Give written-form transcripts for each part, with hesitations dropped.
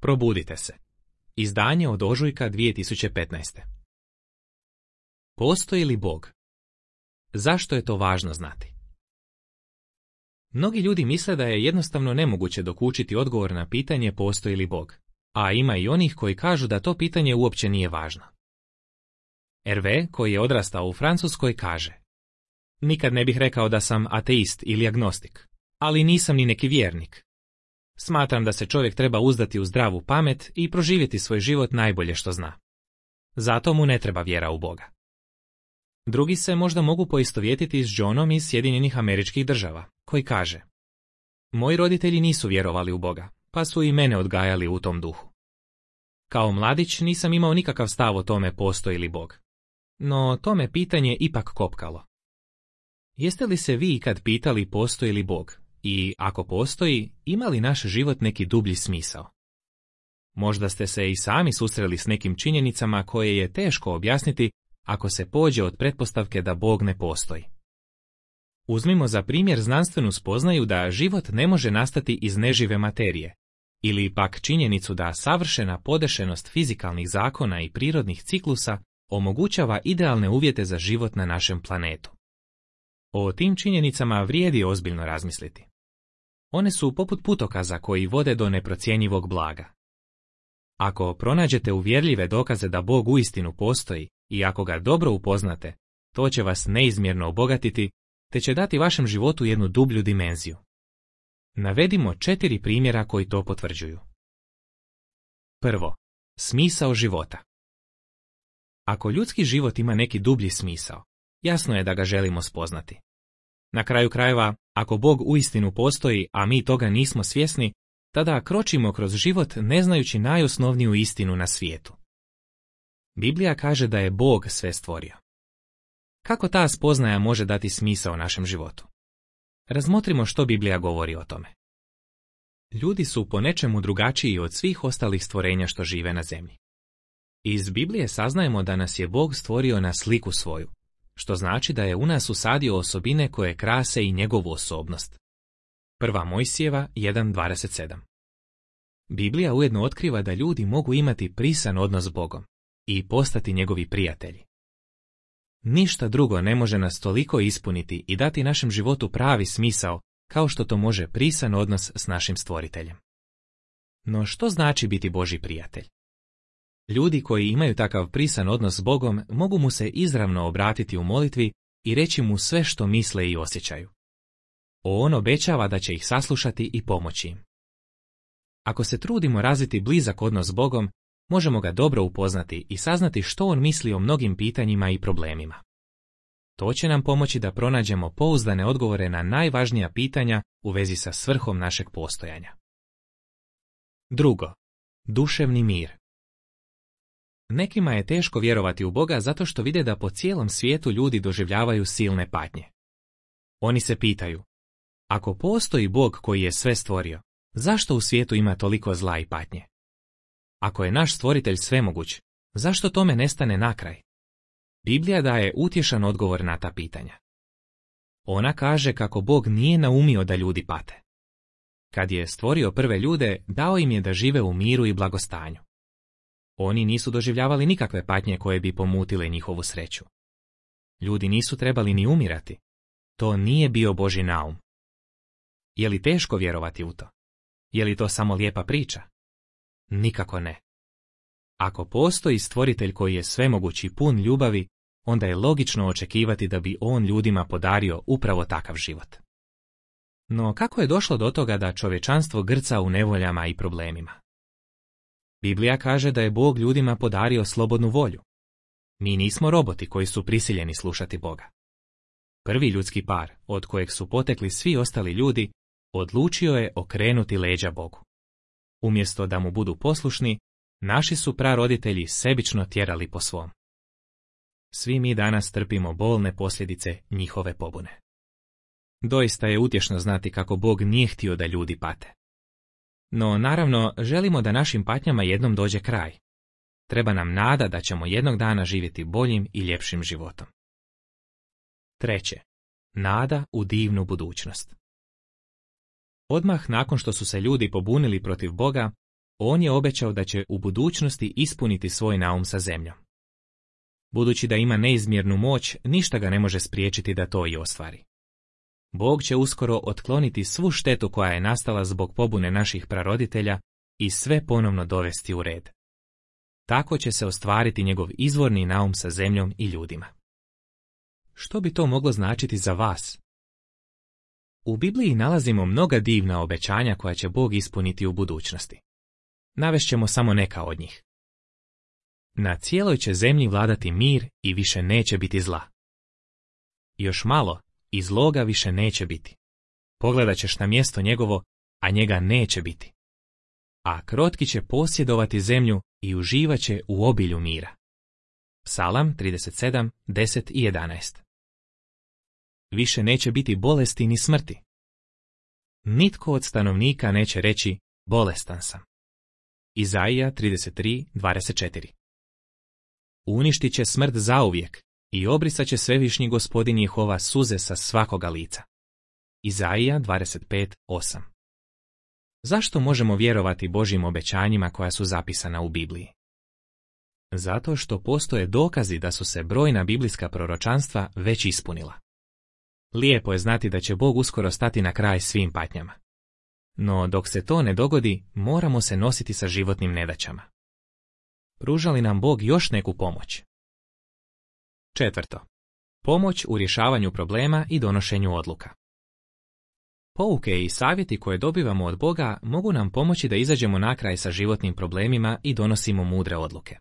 Probudite se. Izdanje od ožujka 2015. Postoji li Bog? Zašto je to važno znati? Mnogi ljudi misle da je jednostavno nemoguće dokučiti odgovor na pitanje postoji li Bog, a ima i onih koji kažu da to pitanje uopće nije važno. Hervé, koji je odrastao u Francuskoj, kaže: nikad ne bih rekao da sam ateist ili agnostik, ali nisam ni neki vjernik. Smatram da se čovjek treba uzdati u zdravu pamet i proživjeti svoj život najbolje što zna. Zato mu ne treba vjera u Boga. Drugi se možda mogu poistovjetiti s Johnom iz Sjedinjenih Američkih Država, koji kaže: moji roditelji nisu vjerovali u Boga, pa su i mene odgajali u tom duhu. Kao mladić nisam imao nikakav stav o tome postoji li Bog. No to me pitanje ipak kopkalo. Jeste li se vi ikad pitali postoji li Bog i, ako postoji, ima li naš život neki dublji smisao? Možda ste se i sami susreli s nekim činjenicama koje je teško objasniti ako se pođe od pretpostavke da Bog ne postoji. Uzmimo za primjer znanstvenu spoznaju da život ne može nastati iz nežive materije, ili pak činjenicu da savršena podešenost fizikalnih zakona i prirodnih ciklusa omogućava idealne uvjete za život na našem planetu. O tim činjenicama vrijedi ozbiljno razmisliti. One su poput putokaza koji vode do neprocjenjivog blaga. Ako pronađete uvjerljive dokaze da Bog uistinu postoji i ako ga dobro upoznate, to će vas neizmjerno obogatiti, te će dati vašem životu jednu dublju dimenziju. Navedimo 4 primjera koji to potvrđuju. Prvo, smisao života. Ako ljudski život ima neki dublji smisao, jasno je da ga želimo spoznati. Na kraju krajeva, ako Bog uistinu postoji, a mi toga nismo svjesni, tada kročimo kroz život ne znajući najosnovniju istinu na svijetu. Biblija kaže da je Bog sve stvorio. Kako ta spoznaja može dati smisao našem životu? Razmotrimo što Biblija govori o tome. Ljudi su po nečemu drugačiji od svih ostalih stvorenja što žive na zemlji. Iz Biblije saznajemo da nas je Bog stvorio na sliku svoju, što znači da je u nas usadio osobine koje krase i njegovu osobnost. 1. Mojsijeva 1.27. Biblija ujedno otkriva da ljudi mogu imati prisan odnos s Bogom i postati njegovi prijatelji. Ništa drugo ne može nas toliko ispuniti i dati našem životu pravi smisao kao što to može prisan odnos s našim stvoriteljem. No što znači biti Božji prijatelj? Ljudi koji imaju takav prisan odnos s Bogom mogu mu se izravno obratiti u molitvi i reći mu sve što misle i osjećaju. On obećava da će ih saslušati i pomoći im. Ako se trudimo razviti blizak odnos s Bogom, možemo ga dobro upoznati i saznati što on misli o mnogim pitanjima i problemima. To će nam pomoći da pronađemo pouzdane odgovore na najvažnija pitanja u vezi sa svrhom našeg postojanja. Drugo, duševni mir. Nekima je teško vjerovati u Boga zato što vide da po cijelom svijetu ljudi doživljavaju silne patnje. Oni se pitaju: ako postoji Bog koji je sve stvorio, zašto u svijetu ima toliko zla i patnje? Ako je naš stvoritelj svemoguć, zašto tome ne stane na kraj? Biblija daje utješan odgovor na ta pitanja. Ona kaže kako Bog nije naumio da ljudi pate. Kad je stvorio prve ljude, dao im je da žive u miru i blagostanju. Oni nisu doživljavali nikakve patnje koje bi pomutile njihovu sreću. Ljudi nisu trebali ni umirati. To nije bio Božji naum. Je li teško vjerovati u to? Je li to samo lijepa priča? Nikako ne. Ako postoji stvoritelj koji je svemoguć i pun ljubavi, onda je logično očekivati da bi on ljudima podario upravo takav život. No kako je došlo do toga da čovječanstvo grca u nevoljama i problemima? Biblija kaže da je Bog ljudima podario slobodnu volju. Mi nismo roboti koji su prisiljeni slušati Boga. Prvi ljudski par, od kojeg su potekli svi ostali ljudi, odlučio je okrenuti leđa Bogu. Umjesto da mu budu poslušni, naši su praroditelji sebično tjerali po svom. Svi mi danas trpimo bolne posljedice njihove pobune. Doista je utješno znati kako Bog nije htio da ljudi pate. No, naravno, želimo da našim patnjama jednom dođe kraj. Treba nam nada da ćemo jednog dana živjeti boljim i ljepšim životom. Treće, nada u divnu budućnost. Odmah nakon što su se ljudi pobunili protiv Boga, On je obećao da će u budućnosti ispuniti svoj naum sa zemljom. Budući da ima neizmjernu moć, ništa ga ne može spriječiti da to i ostvari. Bog će uskoro otkloniti svu štetu koja je nastala zbog pobune naših praroditelja i sve ponovno dovesti u red. Tako će se ostvariti njegov izvorni naum sa zemljom i ljudima. Što bi to moglo značiti za vas? U Bibliji nalazimo mnoga divna obećanja koja će Bog ispuniti u budućnosti. Navešćemo samo neka od njih. Na cijeloj će zemlji vladati mir i više neće biti zla. Još malo i zloga više neće biti. Pogledat ćeš na mjesto njegovo, a njega neće biti. A krotki će posjedovati zemlju i uživat će u obilju mira. Psalam 37, 10 i 11. Više neće biti bolesti ni smrti. Nitko od stanovnika neće reći bolestan sam. Izaija 33, 24. Uništit će smrt zauvijek i obrisat će svevišnji Gospodin Jehova suze sa svakoga lica. Izaija 25, 8. Zašto možemo vjerovati Božjim obećanjima koja su zapisana u Bibliji? Zato što postoje dokazi da su se brojna biblijska proročanstva već ispunila. Lijepo je znati da će Bog uskoro stati na kraj svim patnjama. No dok se to ne dogodi, moramo se nositi sa životnim nedaćama. Pruža li nam Bog još neku pomoć? 4. Pomoć u rješavanju problema i donošenju odluka. Pouke i savjeti koje dobivamo od Boga mogu nam pomoći da izađemo na kraj sa životnim problemima i donosimo mudre odluke.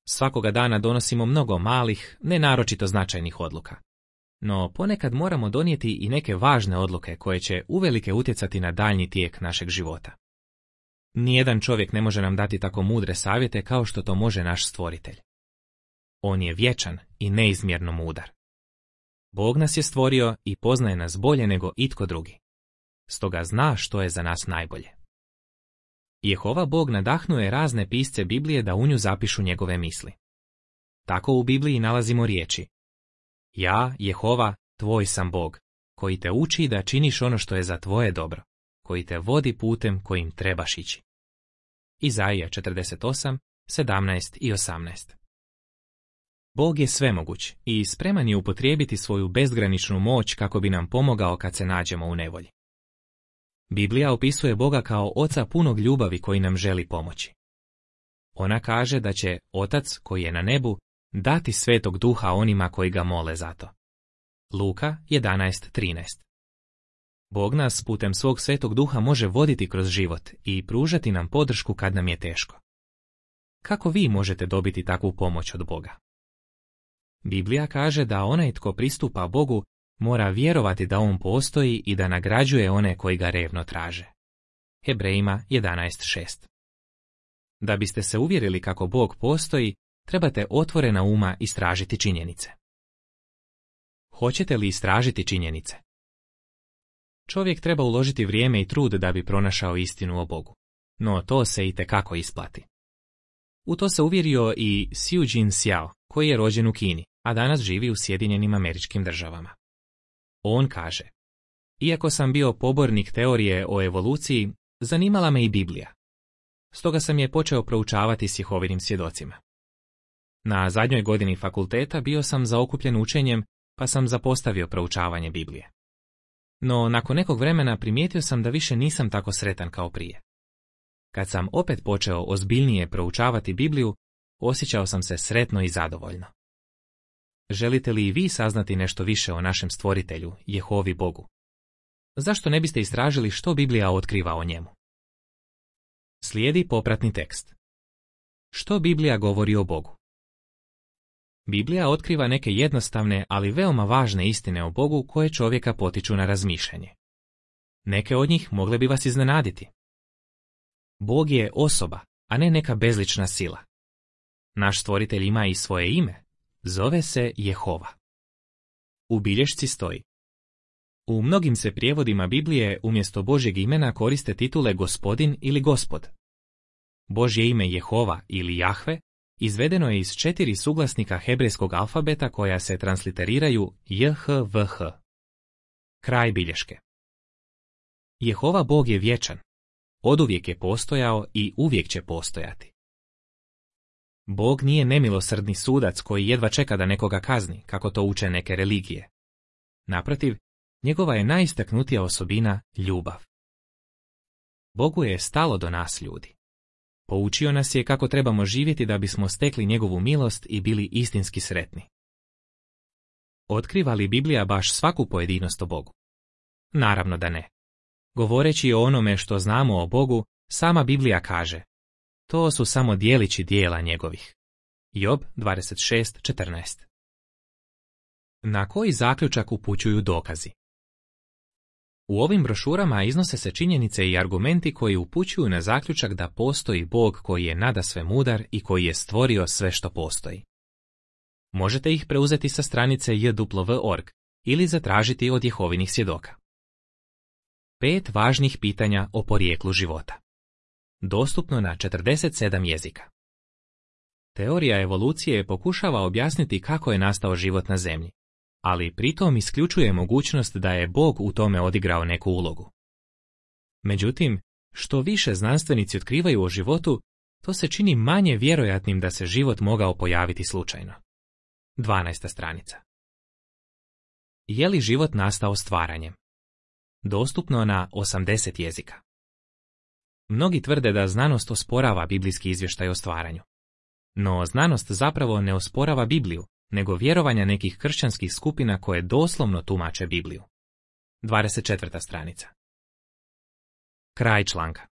Svakoga dana donosimo mnogo malih, ne naročito značajnih odluka. No ponekad moramo donijeti i neke važne odluke koje će uvelike utjecati na daljnji tijek našeg života. Nijedan čovjek ne može nam dati tako mudre savjete kao što to može naš Stvoritelj. On je vječan i neizmjerno mudar. Bog nas je stvorio i poznaje nas bolje nego itko drugi. Stoga zna što je za nas najbolje. Jehova Bog nadahnuje razne pisce Biblije da u nju zapišu njegove misli. Tako u Bibliji nalazimo riječi: Ja, Jehova, tvoj sam Bog, koji te uči da činiš ono što je za tvoje dobro, koji te vodi putem kojim trebaš ići. Izaija 48, 17 i 18. Bog je svemoguć i spreman je upotrijebiti svoju bezgraničnu moć kako bi nam pomogao kad se nađemo u nevolji. Biblija opisuje Boga kao oca punog ljubavi koji nam želi pomoći. Ona kaže da će Otac koji je na nebu dati Svetog Duha onima koji ga mole za to. Luka 11:13. Bog nas putem svog Svetog Duha može voditi kroz život i pružati nam podršku kad nam je teško. Kako vi možete dobiti takvu pomoć od Boga? Biblija kaže da onaj tko pristupa Bogu mora vjerovati da on postoji i da nagrađuje one koji ga revno traže. Hebrejima 11:6. Da biste se uvjerili kako Bog postoji, trebate otvorena uma istražiti činjenice. Hoćete li istražiti činjenice? Čovjek treba uložiti vrijeme i trud da bi pronašao istinu o Bogu, no to se itekako isplati. U to se uvjerio i Siu Jin Xiao, koji je rođen u Kini, a danas živi u Sjedinjenim Američkim Državama. On kaže: Iako sam bio pobornik teorije o evoluciji, zanimala me i Biblija. Stoga sam je počeo proučavati s Jehovinim svjedocima. Na zadnjoj godini fakulteta bio sam zaokupljen učenjem, pa sam zapostavio proučavanje Biblije. No nakon nekog vremena primijetio sam da više nisam tako sretan kao prije. Kad sam opet počeo ozbiljnije proučavati Bibliju, osjećao sam se sretno i zadovoljno. Želite li i vi saznati nešto više o našem Stvoritelju, Jehovi Bogu? Zašto ne biste istražili što Biblija otkriva o njemu? Slijedi popratni tekst. Što Biblija govori o Bogu? Biblija otkriva neke jednostavne, ali veoma važne istine o Bogu koje čovjeka potiču na razmišljanje. Neke od njih mogle bi vas iznenaditi. Bog je osoba, a ne neka bezlična sila. Naš Stvoritelj ima i svoje ime. Zove se Jehova. U bilješci stoji: U mnogim se prijevodima Biblije umjesto Božjeg imena koriste titule Gospodin ili Gospod. Božje ime Jehova ili Jahve izvedeno je iz 4 suglasnika hebrejskog alfabeta koja se transliteriraju JHVH. Kraj bilješke. Jehova Bog je vječan. Oduvijek je postojao i uvijek će postojati. Bog nije nemilosrdni sudac koji jedva čeka da nekoga kazni, kako to uče neke religije. Naprotiv, njegova je najistaknutija osobina ljubav. Bogu je stalo do nas ljudi. Poučio nas je kako trebamo živjeti da bismo stekli njegovu milost i bili istinski sretni. Otkriva li Biblija baš svaku pojedinost o Bogu? Naravno da ne. Govoreći o onome što znamo o Bogu, sama Biblija kaže: to su samo dijelići dijela njegovih. Job 26:14. Na koji zaključak upućuju dokazi? U ovim brošurama iznose se činjenice i argumenti koji upućuju na zaključak da postoji Bog koji je nadasve mudar i koji je stvorio sve što postoji. Možete ih preuzeti sa stranice jw.org ili zatražiti od Jehovinih svjedoka. 5 važnih pitanja o porijeklu života. Dostupno na 47 jezika. Teorija evolucije pokušava objasniti kako je nastao život na Zemlji, ali pritom isključuje mogućnost da je Bog u tome odigrao neku ulogu. Međutim, što više znanstvenici otkrivaju o životu, to se čini manje vjerojatnim da se život mogao pojaviti slučajno. 12. stranica. Je li život nastao stvaranjem? Dostupno na 80 jezika. Mnogi tvrde da znanost osporava biblijski izvještaj o stvaranju. No znanost zapravo ne osporava Bibliju, nego vjerovanja nekih kršćanskih skupina koje doslovno tumače Bibliju. 24. stranica. Kraj članka.